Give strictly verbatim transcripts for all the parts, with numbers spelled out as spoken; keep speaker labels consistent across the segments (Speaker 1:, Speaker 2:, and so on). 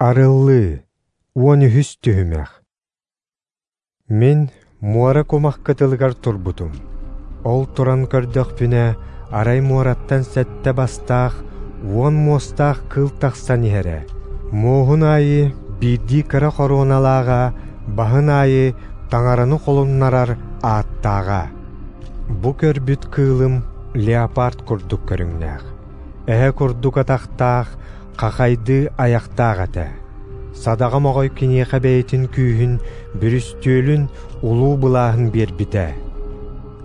Speaker 1: Арыллыы, уон үһүс түһүмэх. Мин муора кумах кытылыгар турбутум. Ол туран көрдөхпүнэ, арай муораттан сэттэ бастаах, уон муостаах кыыл тахсан иһэрэ. Муоһун аайы биирдии кыра хоруоналааҕа, баһын аайы таҥараны холуннарар ааттааҕа. Бу көрбүт кыылым леопард курдук көрүҥнээх, эһэ курдук атахтаах, хахайдыы айахтаах этэ. Садаҕа моҕой киниэхэ бэйэтин күүһүн, бүрүстүөлүн, улуу былааһын биэрбитэ.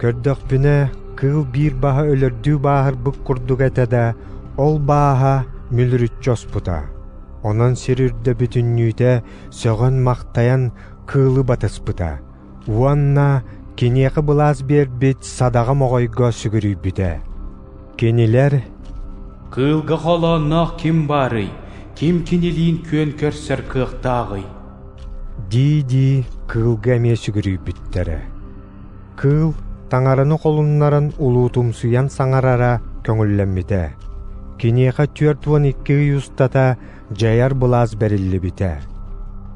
Speaker 1: Көрдөхпүнэ, кыыл биир баһа өлөрдүү бааһырбыт курдук этэ да, ол бааһа мүлүрүччү оспута. Онон сир үрдэ бүтүннүүтэ сөҕөн-махтайан кыылы батыспыта уонна киниэхэ былаас биэрбит садаҕа моҕойго сүгүрүйбүтэ. Кинилэр
Speaker 2: «Кыылга холоонноох ким баарый, ким кинилиин күөн көрсөр кыахтааҕый?»
Speaker 1: дии-дии кыылга эмиэ сүгүрүйбүттэрэ. Кыыл таҥараны холуннаран улуутумсуйан саҥарара көҥүллэммитэ. Киниэхэ түөрт уон икки ый устата дьайар былаас бэриллибитэ.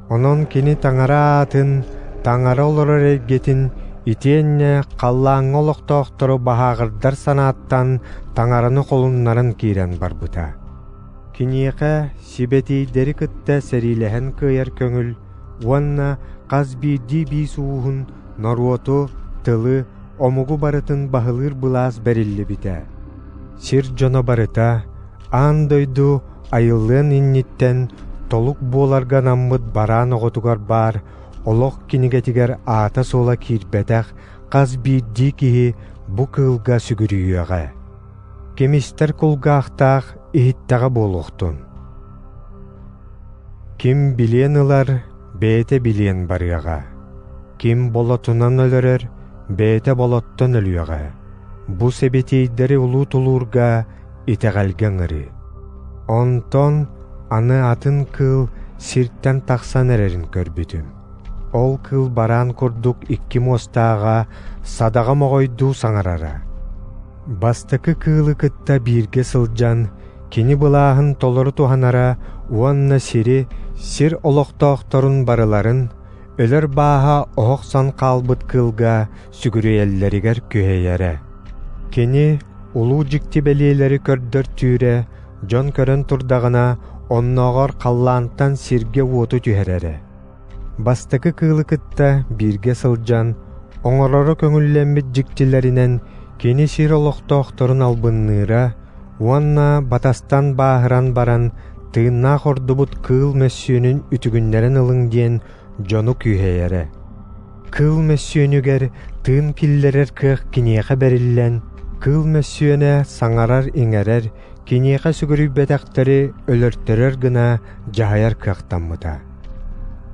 Speaker 1: Онон кини таҥара аатын, таҥара олорор эйгэтин итиэннэ халлааҥҥа олохтоохтору баһааҕырдар санааттан таҥараны холуннаран киирэн барбыта. Киниэхэ сибэтиэйдэри кытта сэриилэһэн кыайар көҥүл уонна хас биирдии биис ууһун, норуоту, тылы, омугу барытын баһылыыр былаас бэриллибитэ. Сир дьоно барыта аан дойду айыллыан инниттэн толук буоларга анаммыт бараан оҕотугар баар олох кинигэтигэр аата-суола киирбэтэх хас биирдии киһи бу кыылга сүгүрүйүөҕэ. Ким истэр кулгаахтаах иһиттэҕэ буолуохтун. Ким билиэн ылар, бэйэтэ билиэн барыаҕа. Ким болотунан өлөрөр, бэйэтэ болоттон өлүөҕэ. Бу сибэтиэйдэри улуу тулуурга итэҕэлгэ ыҥырыы. Онтон аны атын кыыл сиртэн тахсан эрэрин көрбүтүм. Ол кыыл бараан курдук икки муостааҕа, садаҕа моҕойдуу саҥарара. Бастакы кыылы кытта бииргэ сылдьан, кини былааһын толору туһанара уонна сири, сир олохтоохторун барыларын, өлөр бааһа оһохсон хаалбыт кыылга сүгүрүйэллэригэр күһэйэрэ. Кини улуу дьикти бэлиэлэри көрдөр түүрэ, дьон көрөн турдаҕына, оннооҕор халлаантан сиргэ уоту түһэрэрэ. Бастакы кыылы кытта бииргэ сылдьан, оҥороро көҥүллэммит дьиктилэринэн кини сир олохтоохторун албынныыра уонна батастан бааһыран баран тыыннаах ордубут кыыл мөссүөнүн үтүгүннэрэн ылыҥ диэн дьону күүһэйэрэ. Кыыл мөссүөнүгэр тыын киллэрэр кыах киниэхэ бэриллэн, кыыл мөссүөнэ саҥарар-иҥэрэр, киниэхэ сүгүрүйбэтэхтэри өлөртөрөр гына дьаһайар кыахтаммыта.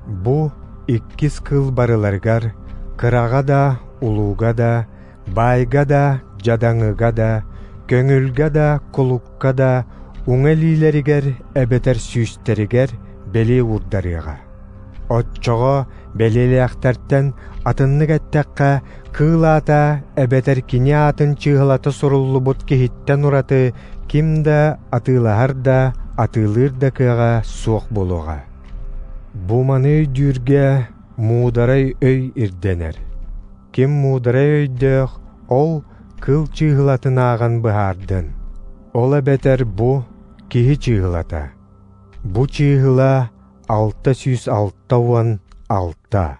Speaker 1: Бу иккис кыыл барыларыгар, кыраҕа да, улууга да, баайга да, дьадаҥыга да, көҥүлгэ да, кулукка да, уҥа илиилэригэр эбэтэр сүүстэригэр бэлиэ уурдарыаҕа. Оччоҕо бэлиэлээхтэртэн атыннык эттэххэ, кыыл аата эбэтэр кини аатын чыыһылата суруллубут киһиттэн ураты ким да атыылаһар да, атыылыыр да кыаҕа суох буолуоҕа. Бу маны өйдүүргэ муударай өй ирдэнэр. Ким муударай өйдөөх, ол кыыл чыыһылатын ааҕан быһаардын. Ол эбэтэр бу киһи чыыһылата. Бу чыыһыла алта сүүс алта уон алта.